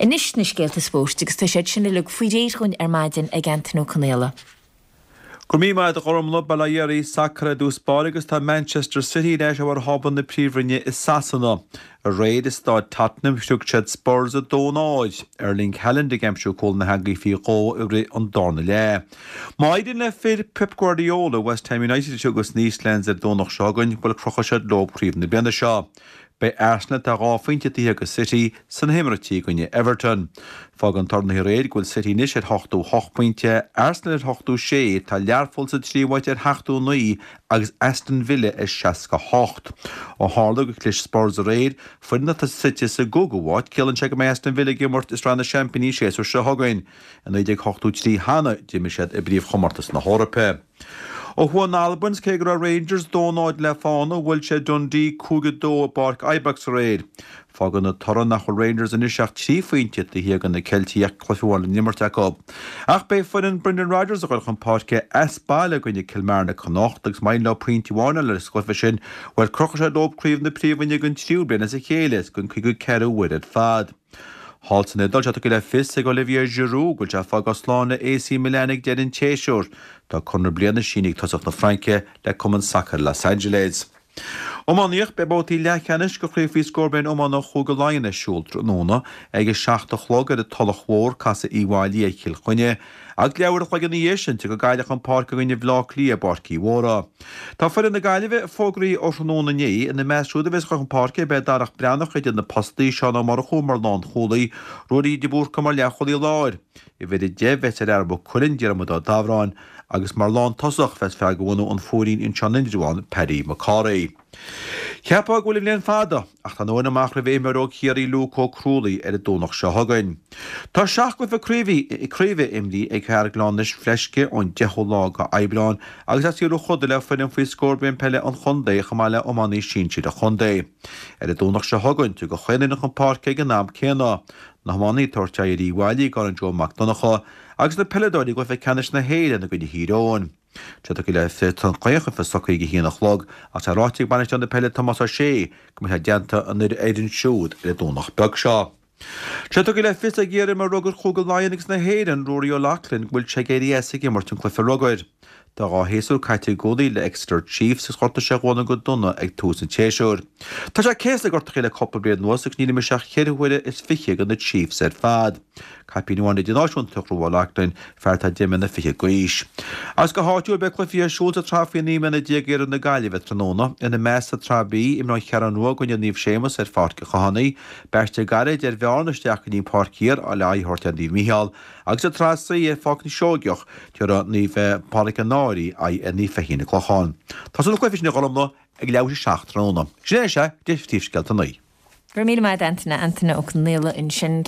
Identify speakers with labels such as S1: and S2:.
S1: Anois na scéalta spóirt agus tá siad sin uilig faoi réir dhúinn ar maidin ag Antaine Ó Conaola.
S2: Go raibh míle maith agat a Ghormfhlaith, Bail ó Dhia oraibh, sacar i dtús báire agus tá Manchester City ar ais ar bharr thábla na Príomhroinne i Sasana. Aréir i Stáid Tottenham shroich siad Spurs 2-0, Erling Haaland ag aimsiú cúl na heangaí faoi dhó i rith an darna leath. Má éiríonn le fir Pep Guardiola West Ham United a thriocadh sna Eastlands ar an Domhnach seo chugainn, bhuel crochfaidh siad leo craobh na bliana seo. Beidh Arsenal, atá 2 phointe taobh thiar de City, sna himeartí i gcoinne Everton. Fágann toradh aréir go bhfuil City anois ar 88 pointe, Arsenal ar 86, tá Learpholl sa tríú háit ar 79 agus Aston Villa ar 68. Ó tharla gur chlis Spurs aréir, foireann atá suite sa gcúigiú háit, ciallaíonn sé go mbeidh Aston Villa ag imirt i Sraith na Seaimpíní an séasúr seo chugainn. I 1983 cheana, d'imir siad i bpríomhchomórtas na hEorpa. Ó thuaidh in Albain, cé go raibh Rangers 2-0 le fána, bhuail siad Dundee 5-2 i bPáirc Ibrox aréir. Fágann an toradh nach bhfuil Rangers anois ach 3 phointe taobh thiar de na Ceiltigh ach cluiche amháin le n-imirt acu. Ach beidh foireann Brendan Rodgers ag dul chun páirce as baile i gcoinne Kilmarnock anocht agus má éiríonn leo pointe amháin a fháil sa gcluiche sin, bhuel crochfaidh sé leo craobh na Príomhroinne don tríú bliain as a chéile is don cúigiú ceathrú uair ar fad. Thall san Iodáil, tá tugtha le fios ag Olivier Giroud go bhfuil sé ag fágáil slán le AC Milan ag deireadh an tséasúir. Tá conradh bliana sínithe ag tosach na Fraince le cumann sacair Los Angeles. Iománaíocht, Beidh babhtaí leathcheannais de chraobh faoi scór bliain iomána Chúige Laighean ar siúl tráthnóna ag 7 a chlog ar an Tulach Mhór, casfaidh Uíbh Fhailí ar Chill Chainnigh. Agus leathuair a chloig ina dhiaidh sin, tiocfaidh Gaillimh chun páirce i gcoinne Bhaile Átha Cliath i bPáirc Uí Mhórdha. Tá foireann na Gaillimhe fógraithe ó thráthnóna inné. Ina measc siúd a bheas chun páirce beidh Darach Breathnach idir na postaí, Seán Ó Murchú mar lánchúlaí, Ruairí de Búrca mar leathchúlaí láir. Uimhir 10 bheas ar fhear Mhaigh Cuilinn, Diarmuid Ó Dabhráin, agus mar lántosach bheas fear de bhunadh an Phúirín anseo in Indreabhán, Paddy McCorry. Cheapfá go bhfuil an bhliain fada, ach tá an uair amach roimh imreoir óg Chiarraí Luke Ó Crualaoich ar an Domhnach seo chugainn. Tá 7 gcluiche craoibhe craoibhe imrithe ag fear Ghleann na Fleisce ón 10ú lá de Aibreán agus as saol choda le foireann faoi scór bliain peile an chontae chomh maith le iománaí sinsir an chontae. Ar an Domhnach seo chugainn, tiocfaidh chaon fhoireann chun páirce ag an am céanna, na hiománaí ag tabhairt aghaidh ar Uíbh Fhailí i gCorn Joe Mac Donncha agus na peileadóirí i gcluiche ceannais na hÉireann i gcoinne Thír Eoghain. Tá tugtha le fios don chluiche socraithe ag a haon a chlog ach tá ráite ag bainisteoir na peile Tomás Ó Sé go mbeidh sé i dteannta an fhoireann siúd ar an Domhnach beag seo. Tá tugtha le fios ag iar-imreoir rugair Chúige Laighean agus na hÉireann, Ruairí O'Loughlin, go bhfuil sé ag éirí as ag imirt an cluiche rugair. Tá 2 shéasúr caite i gCúlaí le Exeter Chiefs agus ghortaigh sé a ghualainn go dona ag tús an tséasúir. Tá sé céastaithe le gortuithe le cúpla bliain anuas agus níor imir sé ach ceithre huaire is fiche do na Chiefs ar fad. Caipín amháin idirnáisiúnta ag Ruairí O'Loughlin, fear atá deich mbliana fichead d'aois. Agus go háitiúil, beidh cluichí ar siúl sa tsraith faoi 19 mbliana i gCiarraí na Gaillimhe tráthnóna. Ina measc sa tSraith B, imreoidh An Cheathrú Rua i gcoinne Naomh Séamus ar Pháirc an Chathánaigh. Beidh sé gairid ar Bhearna isteach go dtí an Pháirc Thiar le aghaidh a thabhairt ar Naomh Mícheál. Agus sa tSraith C ar Pháirc na Seoigeach, tabharfaidh Naomh Pádraig an Fhairche aghaidh ar Naomh Feichín an Clochán. Tosóidh na cluichí sin a Ghormfhlaith ag leathuair tar éis a 7 tráthnóna. Sin é sea, de phríomhscéalta an lae.
S1: Go raibh míle maith agat Antaine, Antaine Ó Conaola ansin.